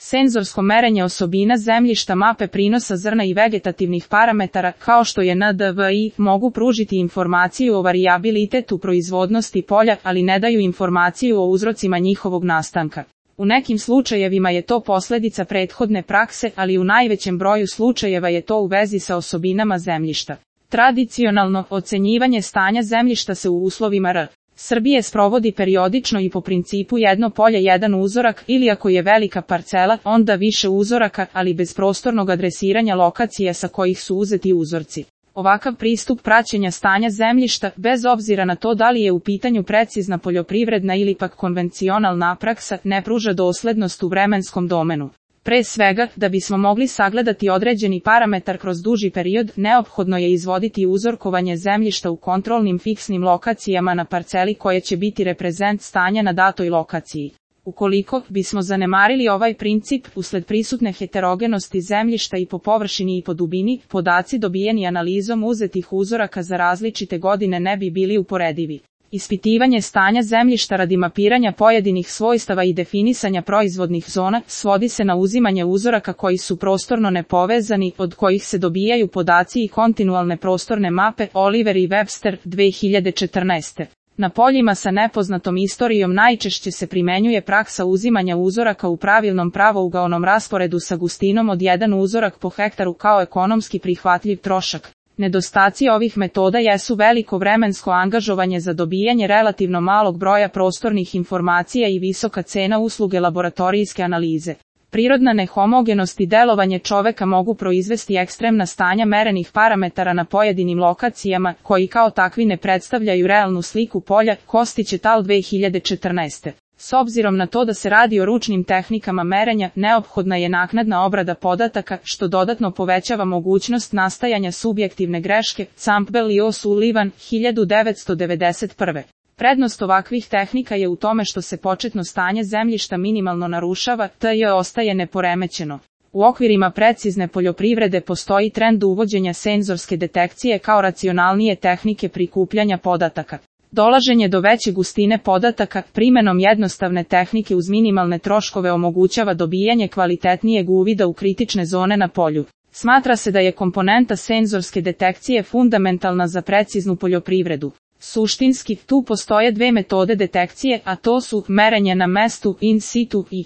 Senzorsko merenje osobina zemljišta, mape prinosa zrna i vegetativnih parametara, kao što je NDVI, mogu pružiti informaciju o varijabilitetu proizvodnosti polja, ali ne daju informaciju o uzrocima njihovog nastanka. U nekim slučajevima je to posljedica prethodne prakse, ali u najvećem broju slučajeva je to u vezi sa osobinama zemljišta. Tradicionalno, ocenjivanje stanja zemljišta se u uslovima R. Srbije sprovodi periodično i po principu jedno polje jedan uzorak, ili ako je velika parcela, onda više uzoraka, ali bez prostornog adresiranja lokacija sa kojih su uzeti uzorci. Ovakav pristup praćenja stanja zemljišta, bez obzira na to da li je u pitanju precizna poljoprivredna ili pak konvencionalna praksa, ne pruža doslednost u vremenskom domenu. Pre svega, da bismo mogli sagledati određeni parametar kroz duži period, neophodno je izvoditi uzorkovanje zemljišta u kontrolnim fiksnim lokacijama na parceli koje će biti reprezent stanja na datoj lokaciji. Ukoliko bismo zanemarili ovaj princip, usled prisutne heterogenosti zemljišta i po površini i po dubini, podaci dobijeni analizom uzetih uzoraka za različite godine ne bi bili uporedivi. Ispitivanje stanja zemljišta radi mapiranja pojedinih svojstava i definisanja proizvodnih zona svodi se na uzimanje uzoraka koji su prostorno nepovezani, od kojih se dobijaju podaci i kontinualne prostorne mape. Oliver i Webster, 2014. Na poljima sa nepoznatom istorijom najčešće se primenjuje praksa uzimanja uzoraka u pravilnom pravougaonom rasporedu sa gustinom od 1 uzorak po hektaru kao ekonomski prihvatljiv trošak. Nedostaci ovih metoda jesu veliko vremensko angažovanje za dobijanje relativno malog broja prostornih informacija i visoka cena usluge laboratorijske analize. Prirodna nehomogenost i delovanje čoveka mogu proizvesti ekstremna stanja merenih parametara na pojedinim lokacijama, koji kao takvi ne predstavljaju realnu sliku polja. Kostić et al. 2014. S obzirom na to da se radi o ručnim tehnikama merenja, neophodna je naknadna obrada podataka, što dodatno povećava mogućnost nastajanja subjektivne greške. Campbell i O'Sullivan, 1991. Prednost ovakvih tehnika je u tome što se početno stanje zemljišta minimalno narušava, TJ ostaje neporemećeno. U okvirima precizne poljoprivrede postoji trend uvođenja senzorske detekcije kao racionalnije tehnike prikupljanja podataka. Dolaženje do veće gustine podataka, primenom jednostavne tehnike uz minimalne troškove omogućava dobijanje kvalitetnijeg uvida u kritične zone na polju. Smatra se da je komponenta senzorske detekcije fundamentalna za preciznu poljoprivredu. Suštinski, tu postoje dve metode detekcije, a to su merenje na mestu in situ i